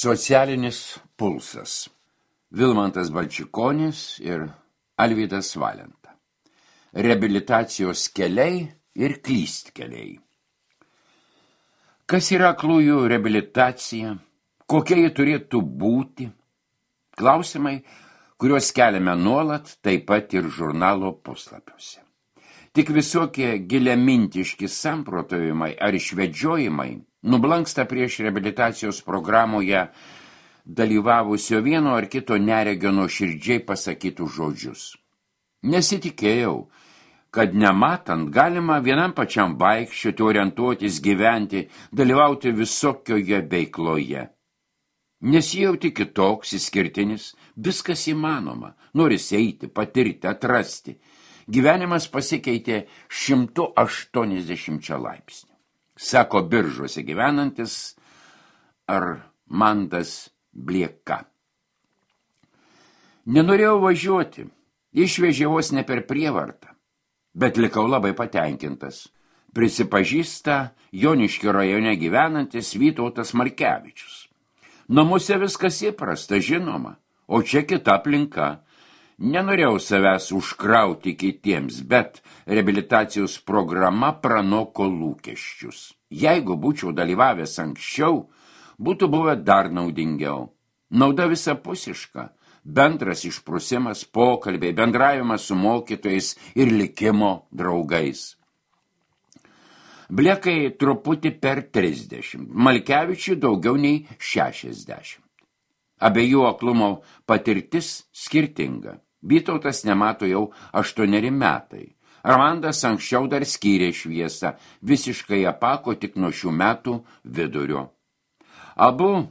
Socialinis pulsas. Vilmantas Balčikonis ir Alvydas Valenta. Reabilitacijos keliai ir klystkeliai. Kas yra aklųjų reabilitacija? Kokia ji turėtų būti? Klausimai, kuriuos keliame nuolat, taip pat ir žurnalo puslapiuose. Tik visokie giliamintiški samprotavimai ar išvedžiojimai nublanksta prieš reabilitacijos programoje dalyvavusio vieno ar kito neregio nuoširdžiai pasakytų žodžius. Nesitikėjau, kad nematant galima vienam pačiam vaikščioti, orientuotis, gyventi, dalyvauti visokioje veikloje. Nesijauti kitoks, išskirtinis, viskas įmanoma, noris eiti, patirti, atrasti. Gyvenimas pasikeitė 180 laipsnių. Sako Biržuose gyvenantis Armandas Blieka. Nenorėjau važiuoti, išvežė vos ne per prievartą, bet likau labai patenkintas. Prisipažįsta Joniškio rajone gyvenantis Vytautas Markevičius. Namuose viskas įprasta, žinoma, o čia kita aplinka. Nenorėjau savęs užkrauti kitiems, bet reabilitacijos programa pranoko lūkesčius. Jeigu būčiau dalyvavęs anksčiau, būtų buvę dar naudingiau. Nauda visapusiška, bendras išprusimas, pokalbiai, bendravimas su mokytojais ir likimo draugais. Bliekai truputį per 30, Malkevičiui daugiau nei 60. Abiejų aklumo patirtis skirtinga. Vytautas nemato jau 8 metai. Armandas anksčiau dar skyrė šviesą, visiškai apako tik nuo šių metų vidurio. Abu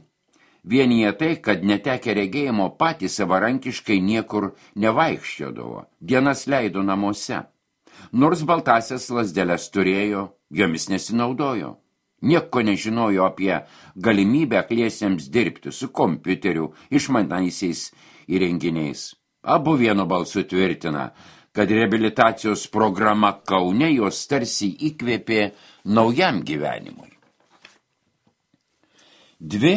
vienyje tai, kad netekę regėjimo patys savarankiškai niekur nevaikščiodavo, dienas leido namuose. Nors baltasias lazdeles turėjo, jomis nesinaudojo. Nieko nežinojo apie galimybę akliesiems dirbti su kompiuteriu, išmanaisiais įrenginiais. Abu vienu balsu tvirtina, kad reabilitacijos programa Kaune jos tarsi įkvėpė naujam gyvenimui. 2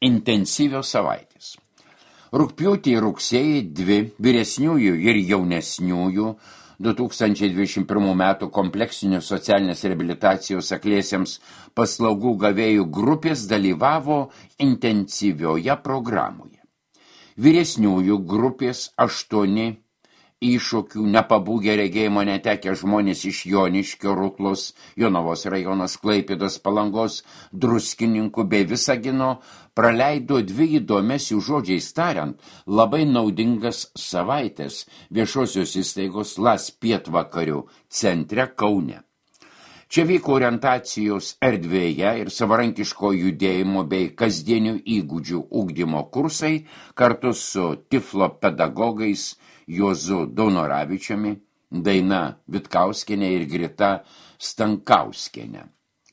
intensyvios savaitės. Rugpjūtį ir rugsėjį 2 vyresniųjų ir jaunesniųjų 2021 metų kompleksinių socialinės reabilitacijos akliesiems paslaugų gavėjų grupės dalyvavo intensyvioje programoje. Vyresniųjų grupės 8 iššūkių nepabūgę regėjimo netekę žmonės iš Joniškio, Ruklos, Jonavos rajonas, Klaipėdos, Palangos, Druskininkų bei Visagino praleido 2 įdomias jų žodžiais tariant labai naudingas savaitės viešosios įstaigos LAS pietvakarių centre Kaune. Čia vyko orientacijos erdvėje ir savarankiško judėjimo bei kasdienių įgūdžių ugdymo kursai kartu su Tiflo pedagogais Juozu Daunoravičiumi, Daina Vitkauskienė ir Grita Stankauskienė.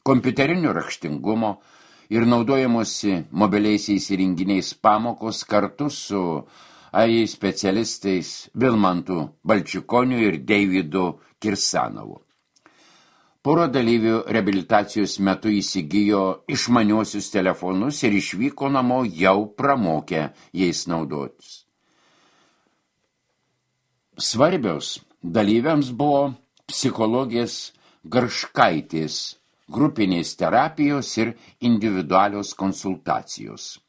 Kompiuterinio raštingumo ir naudojamosi mobiliaisiais įrenginiais pamokos kartu su AI specialistais Vilmantu Balčikoniu ir Deividu Kirsanovu. Pora dalyvių reabilitacijos metu įsigijo išmaniuosius telefonus ir išvyko namo jau pramokę jais naudotis. Svarbios dalyviams buvo psichologės Garškaitės grupinės terapijos ir individualios konsultacijos.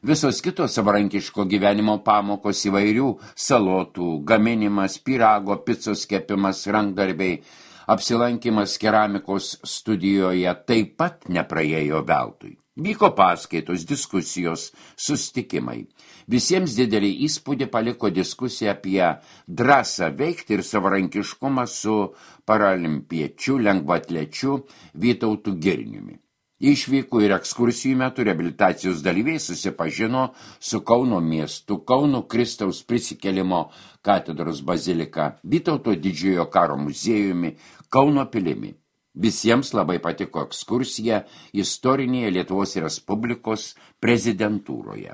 Visos kitos savarankiško gyvenimo pamokos įvairių salotų, gaminimas, pyrago, picos kepimas, rankdarbiai, apsilankimas keramikos studijoje taip pat nepraėjo veltui. Vyko paskaitos, diskusijos, sustikimai. Visiems didelį įspūdį paliko diskusija apie drąsą veikti ir savarankiškumą su paralimpiečiu, lengvaatlečiu Vytautu Girniumi. Išvykų ir ekskursijų metu reabilitacijos dalyviai susipažino su Kauno miestu, Kauno Kristaus prisikėlimo katedros bazilika, Vytauto didžiojo karo muziejumi, Kauno pilimi. Visiems labai patiko ekskursija istorinėje Lietuvos Respublikos prezidentūroje.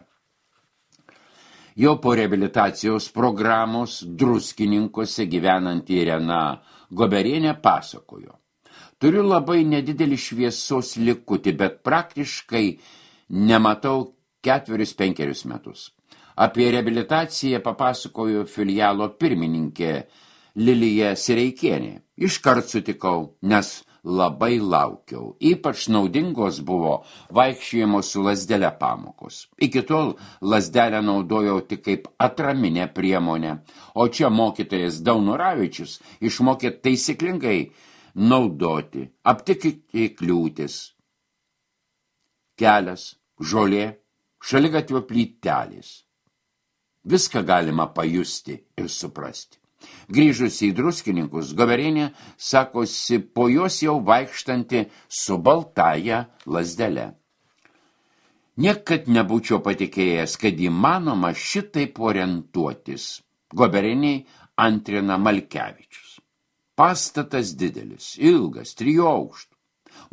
Jau po reabilitacijos programos Druskininkuose gyvenanti Irena Goberienė pasakojo. Turiu labai nedidelį šviesos likutį, bet praktiškai nematau 4-5 metus. Apie reabilitaciją papasakojo filialo pirmininkė Lilija Sireikienė. Iškart sutikau, nes labai laukiau. Ypač naudingos buvo vaikščiojimo su lazdele pamokos. Iki tol lazdelę naudojau tik kaip atraminę priemonę, o čia mokytojas Daunoravičius išmokė taisyklingai naudoti, aptikti kliūtis. Kelias, žolė, šaligatvio plytelės. Viską galima pajusti ir suprasti. Grįžusi į Druskininkus, Goverienė sakosi po jos jau vaikštanti su baltaja lazdele. Niekad nebūčiau patikėjęs, kad įmanoma šitaip orientuotis. Goverieniai antrina Malkevičius. Pastatas didelis, ilgas, 3 aukštų.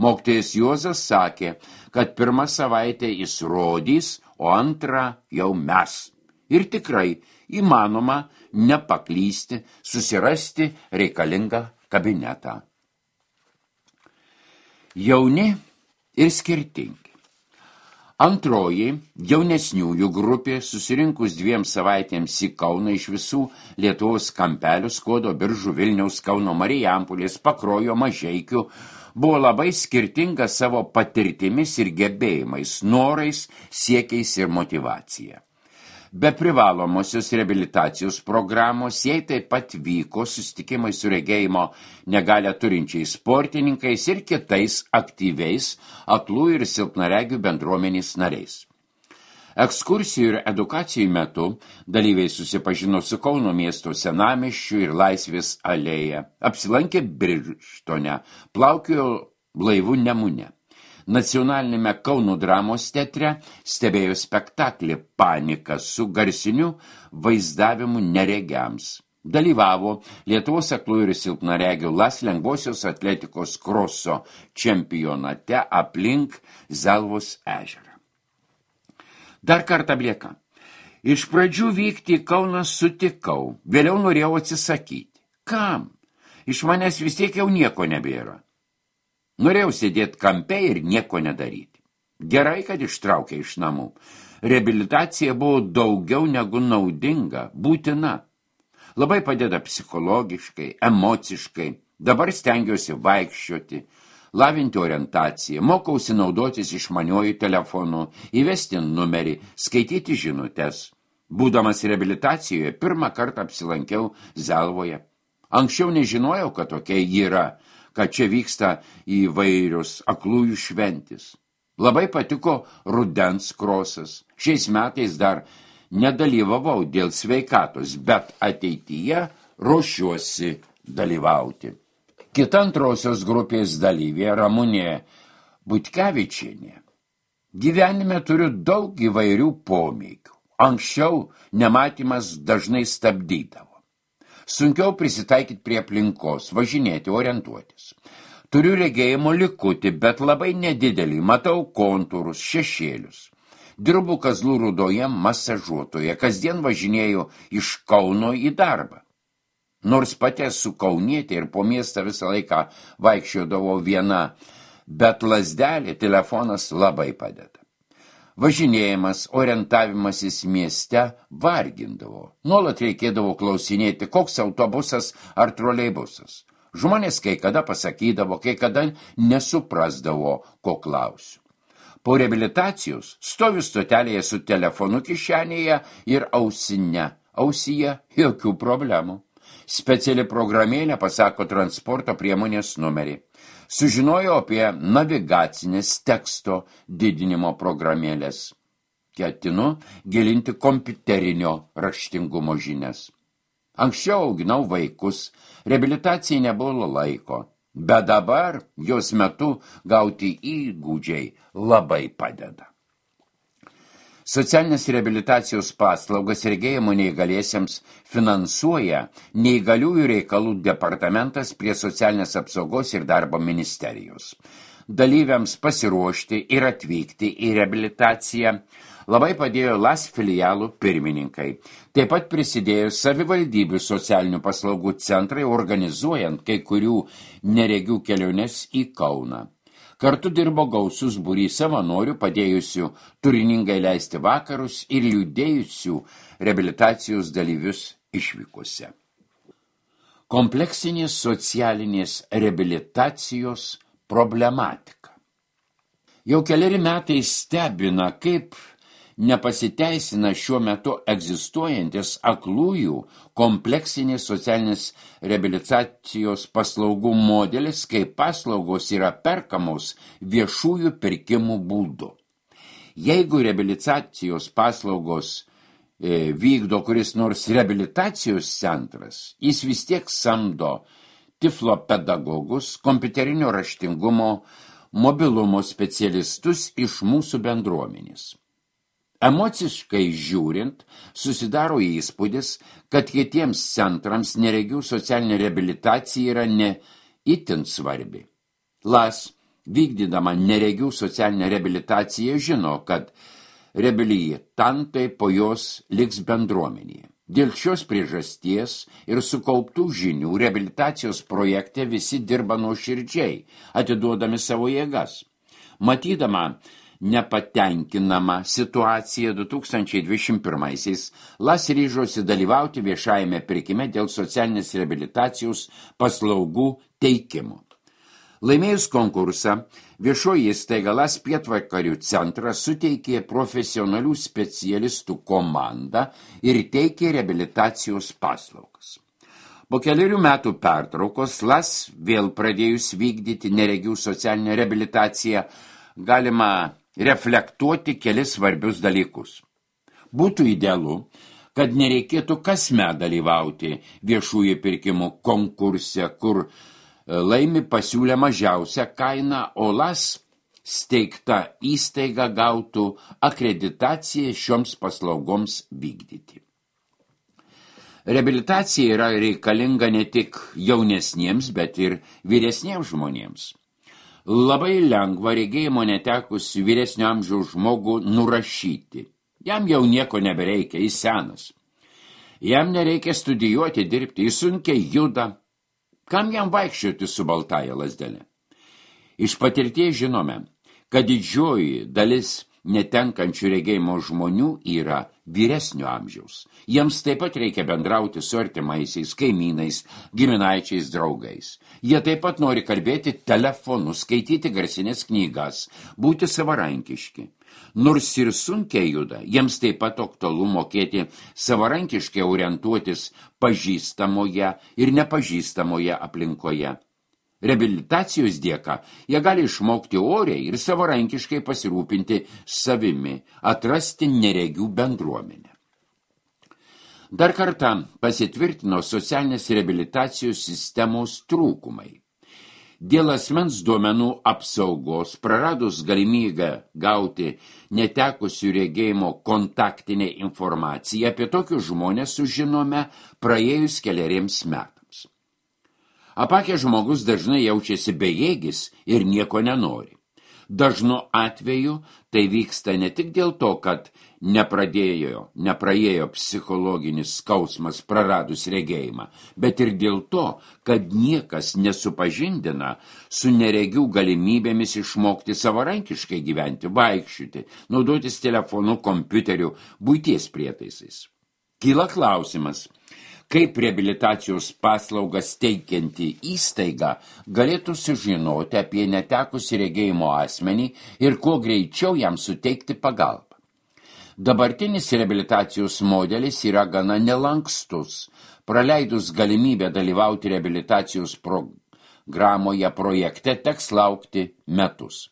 Mokytojas Juozas sakė, kad 1 savaitę jis rodys, o 2 jau mes. Ir tikrai įmanoma nepaklysti, susirasti reikalingą kabinetą. Jauni ir skirtingi. Antroji jaunesniųjų grupė susirinkus 2 savaitėms į Kauną iš visų Lietuvos kampelių, Skuodo, Biržų, Vilniaus, Kauno, Marijampolės, Pakruojo, Mažeikių, buvo labai skirtinga savo patirtimis ir gebėjimais, norais, siekiais ir motyvacija. Be privalomosios reabilitacijos programos jai taip pat vyko susitikimai su regėjimo negalią turinčiais sportininkais ir kitais aktyviais aklų ir silpnaregių bendruomenės nariais. Ekskursijų ir edukacijų metu dalyviai susipažino su Kauno miesto senamiesčiu ir Laisvės alėja, apsilankė Birštone, plaukiojo laivu Nemune. Nacionalinėme Kauno dramos teatre stebėjo spektaklį Panika su garsiniu vaizdavimu neregiams. Dalyvavo Lietuvos aklų ir silpnaregių LAS lengvosios atletikos kroso čempionate aplink Zelvos ežerą. Dar kartą blieka. Iš pradžių vykti į Kauną sutikau, vėliau norėjau atsisakyti. Kam? Iš manęs vis tiek jau nieko nebėra. Norėjau sėdėti kampe ir nieko nedaryti. Gerai, kad ištraukė iš namų. Reabilitacija buvo daugiau negu naudinga, būtina. Labai padeda psichologiškai, emociškai. Dabar stengiuosi vaikščioti, lavinti orientaciją, mokausi naudotis išmaniuoju telefonu, įvesti numerį, skaityti žinutes. Būdamas reabilitacijoje, 1 kartą apsilankiau Zelvoje. Anksčiau nežinojau, kad tokia yra, kad čia vyksta įvairius aklųjų šventis. Labai patiko rudens krosas. Šiais metais dar nedalyvavau dėl sveikatos, bet ateityje ruošiuosi dalyvauti. Kita antrosios grupės dalyvė Ramunė Butkevičienė. Gyvenime turiu daug įvairių pomėgių. Anksčiau nematymas dažnai stabdydavo. Sunkiau prisitaikyti prie aplinkos, važinėti, orientuotis. Turiu regėjimo likutį, bet labai nedidelį, matau kontūrus, šešėlius. Dirbu Kazlų Rūdoje masažuotoje, kasdien važinėju iš Kauno į darbą. Nors pati esu kaunietė ir po miestą visą laiką vaikščiodavau viena, bet lazdelė, telefonas labai padeda. Važinėjimas, orientavimasis mieste vargindavo. Nuolat reikėdavo klausinėti, koks autobusas ar troleibusas. Žmonės kai kada pasakydavo, kai kada nesuprasdavo, ko klausiu. Po reabilitacijos stoviu stotelėje su telefonu kišenėje ir ausyje jokių problemų. Speciali programėlė pasako transporto priemonės numerį. Sužinojau apie navigacinės teksto didinimo programėlės. Ketinu gilinti kompiuterinio raštingumo žinias. Anksčiau auginau vaikus, reabilitacijai nebuvo laiko, bet dabar jos metu gauti įgūdžiai labai padeda. Socialinės reabilitacijos paslaugas regėjimo neįgaliesiems finansuoja Neįgaliųjų reikalų departamentas prie socialinės apsaugos ir darbo ministerijos. Dalyviams pasiruošti ir atvykti į reabilitaciją labai padėjo LAS filialų pirmininkai. Taip pat prisidėjo savivaldybių socialinių paslaugų centrai, organizuojant kai kurių neregių keliones į Kauną. Kartu dirbo gausus būrys savanorių, padėjusių turiningai leisti vakarus ir liūdėjusių reabilitacijos dalyvius išvykose. Kompleksinės socialinės reabilitacijos problematika. Jau keleri metai stebina, kaip nepasiteisina šiuo metu egzistuojantis aklųjų kompleksinės socialinės reabilitacijos paslaugų modelis, kai paslaugos yra perkamos viešųjų pirkimų būdu. Jeigu reabilitacijos paslaugos vykdo kuris nors reabilitacijos centras, jis vis tiek samdo tiflopedagogus, kompiuterinio raštingumo, mobilumo specialistus iš mūsų bendruomenės. Emociškai žiūrint, susidaro įspūdis, kad kitiems centrams neregių socialinė reabilitacija yra ne itin svarbi. LAS, vykdydama neregių socialinę reabilitaciją, žino, kad reabilitantai po jos liks bendruomenėje. Dėl šios priežasties ir sukauptų žinių reabilitacijos projekte visi dirba nuoširdžiai, atiduodami savo jėgas. Matydama nepatenkinama situacija 2021-aisiais, LAS ryžosi dalyvauti viešajame pirkime dėl socialinės reabilitacijos paslaugų teikimo. Laimėjus konkursą, viešoji įstaiga LAS Pietvakarių centras suteikė profesionalių specialistų komandą ir teikė reabilitacijos paslaugas. Po kelerių metų pertraukos LAS vėl pradėjus vykdyti neregių socialinę reabilitaciją, galima reflektuoti kelis svarbius dalykus. Būtų idealu, kad nereikėtų kasmet dalyvauti viešųjų pirkimų konkurse, kur laimi pasiūlę mažiausią kainą, o LAS steigta įstaiga gautų akreditaciją šioms paslaugoms vykdyti. Reabilitacija yra reikalinga ne tik jaunesniems, bet ir vyresniems žmonėms. Labai lengva regėjimo netekusių vyresnio amžiaus žmogų nurašyti. Jam jau nieko nebereikia, jis senas. Jam nereikia studijuoti, dirbti, jis sunkiai juda. Kam jam vaikščioti su baltaja lazdelė? Iš patirties žinome, kad didžioji dalis netenkančių regėjimo žmonių yra vyresnio amžiaus. Jiems taip pat reikia bendrauti su artimaisiais, kaimynais, giminaičiais, draugais. Jie taip pat nori kalbėti telefonu, skaityti garsinės knygas, būti savarankiški. Nors ir sunkiai juda, jiems taip pat aktualu mokėti savarankiškai orientuotis pažįstamoje ir nepažįstamoje aplinkoje. Reabilitacijos dėka jie gali išmokti oriai ir savarankiškai pasirūpinti savimi, atrasti neregių bendruomenę. Dar kartą pasitvirtino socialinės reabilitacijos sistemos trūkumai. Dėl asmens duomenų apsaugos, praradus galimybę gauti netekusių regėjimo kontaktinę informaciją, apie tokius žmonės sužinome praėjus keleriems metams. Apakęs žmogus dažnai jaučiasi bejėgis ir nieko nenori. Dažnu atveju tai vyksta ne tik dėl to, kad nepraėjo psichologinis skausmas praradus regėjimą, bet ir dėl to, kad niekas nesupažindina su neregių galimybėmis išmokti savarankiškai gyventi, vaikščioti, naudotis telefonu, kompiuteriu, buities prietaisais. Kyla klausimas, kaip reabilitacijos paslaugas teikianti įstaiga galėtų sužinoti apie netekusį regėjimo asmenį ir kuo greičiau jam suteikti pagalbą. Dabartinis reabilitacijos modelis yra gana nelankstus. Praleidus galimybę dalyvauti reabilitacijos programoje projekte teks laukti metus.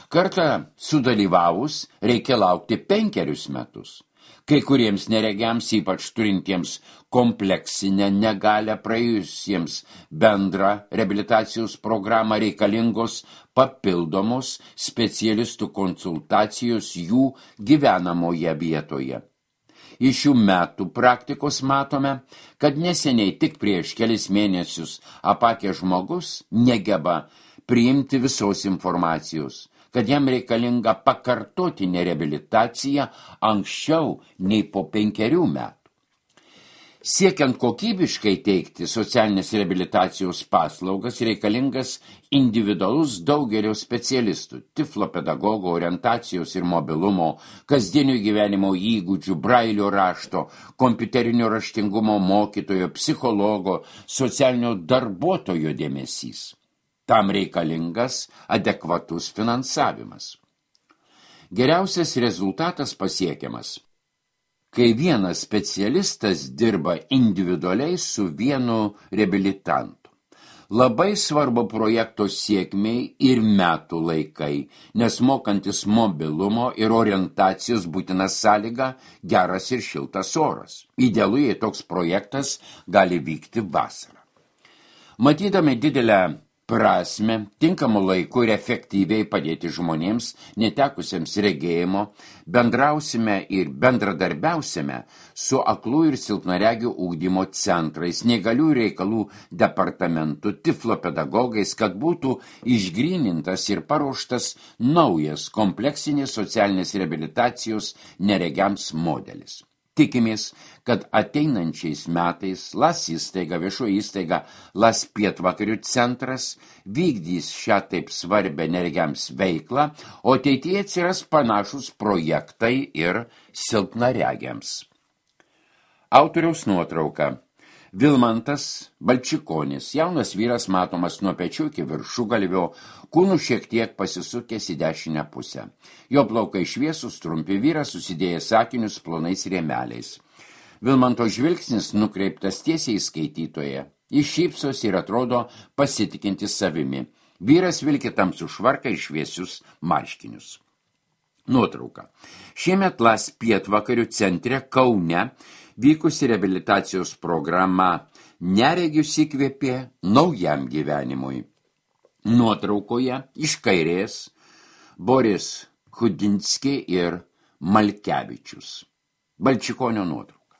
Kartą sudalyvavus reikia laukti 5 metus. Kai kuriems neregiams, ypač turintiems kompleksinę negalią praėjusiems bendrą reabilitacijos programą reikalingos papildomos specialistų konsultacijos jų gyvenamoje vietoje. Iš šių metų praktikos matome, kad neseniai tik prieš kelis mėnesius apakęs žmogus negeba priimti visos informacijos, kad jam reikalinga pakartotinė reabilitacija anksčiau nei po 5 metų. Siekiant kokybiškai teikti socialinės reabilitacijos paslaugas, reikalingas individualus daugelio specialistų, tiflopedagogo, orientacijos ir mobilumo, kasdienio gyvenimo įgūdžių, brailio rašto, kompiuterinio raštingumo mokytojo, psichologo, socialinio darbuotojo dėmesys. Tam reikalingas adekvatus finansavimas. Geriausias rezultatas pasiekiamas, kai vienas specialistas dirba individualiai su vienu reabilitantu. Labai svarbu projekto sėkmei ir metų laikai, nes mokantis mobilumo ir orientacijos būtina sąlyga geras ir šiltas oras. Idealu, jei toks projektas gali vykti vasarą. Matydami didelę prasme, tinkamu laiku ir efektyviai padėti žmonėms, netekusiems regėjimo, bendrausime ir bendradarbiausime su aklų ir silpnaregių ugdymo centrais, neįgalių reikalų departamentu, tiflopedagogais, kad būtų išgrynintas ir paruoštas naujas kompleksinės socialinės reabilitacijos neregiams modelis. Tikimės, kad ateinančiais metais LAS įstaiga, viešoji įstaiga LAS Pietvakarių centras vykdys šią taip svarbę neregiams veiklą, o ateityje atsiras panašus projektai ir silpnaregiams. Autoriaus nuotrauka. Vilmantas Balčikonis, jaunas vyras matomas nuo pečių iki viršugalvio, kūnų šiek tiek pasisukęs į dešinę pusę. Jo plaukai šviesūs, trumpi, vyras susidėjęs sakinius plonais rėmeliais. Vilmanto žvilgsnis nukreiptas tiesiai į skaitytoją. Jis šypsosi ir atrodo pasitikintis savimi. Vyras vilki tamsų švarką ir šviesius marškinius. Nuotrauka. Šiemet LAS Pietvakarių centre Kaune vykusi reabilitacijos programa Neregius įkvėpė naujam gyvenimui. Nuotraukoje iš kairės Boris Chudinski ir Malkevičius. Balčikonio nuotrauka.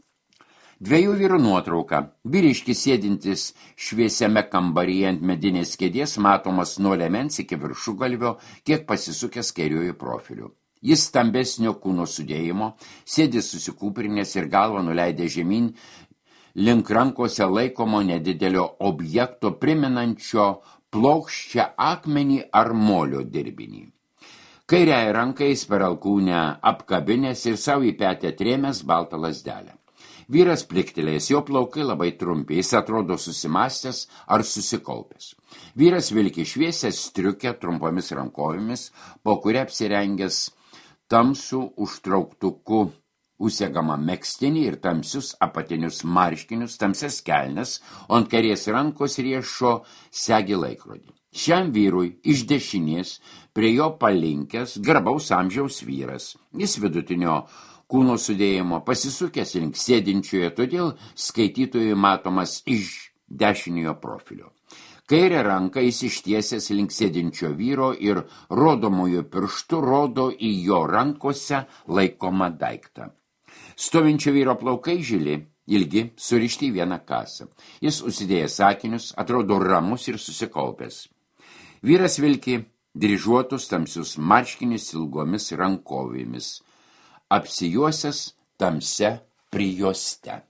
Dviejų vyrų nuotrauka. Vyriškis sėdintis šviesiame kambaryje ant medinės kėdės matomas nuo liemens iki viršugalvio, kiek pasisukęs kairiuoju profiliu. Jis stambesnio kūno sudėjimo, sėdi susikūprinės ir galvą nuleidė žemyn link rankose laikomo nedidelio objekto primenančio plokščią akmenį ar molio dirbinį. Kairiąją ranką jis per alkūnę apkabinės ir savo į petę trėmęs baltą lazdelę. Vyras pliktelėjęs, jo plaukai labai trumpi, jis atrodo susimąstęs ar susikaupęs. Vyras vilki šviesią striukę trumpomis rankovėmis, po kuria apsirengęs tamsų užtrauktuku užsegamą megztinį ir tamsius apatinius marškinius, tamsias kelnes, o ant kairės rankos riešo segi laikrodį. Šiam vyrui iš dešinės prie jo palinkęs garbaus amžiaus vyras. Jis vidutinio kūno sudėjimo pasisukęs link sėdinčioje, todėl skaitytojui matomas iš dešiniojo profilio. Kairę ranką jis ištiesęs link sėdinčio vyro ir rodomojo pirštu rodo į jo rankose laikomą daiktą. Stovinčio vyro plaukai žili, ilgi, surišti į vieną kasą. Jis užsidėjęs sakinius, atrodo ramus ir susikaupęs. Vyras vilki dryžuotus tamsius marškinius ilgomis rankovėmis, apsijuosęs tamsia prijuoste.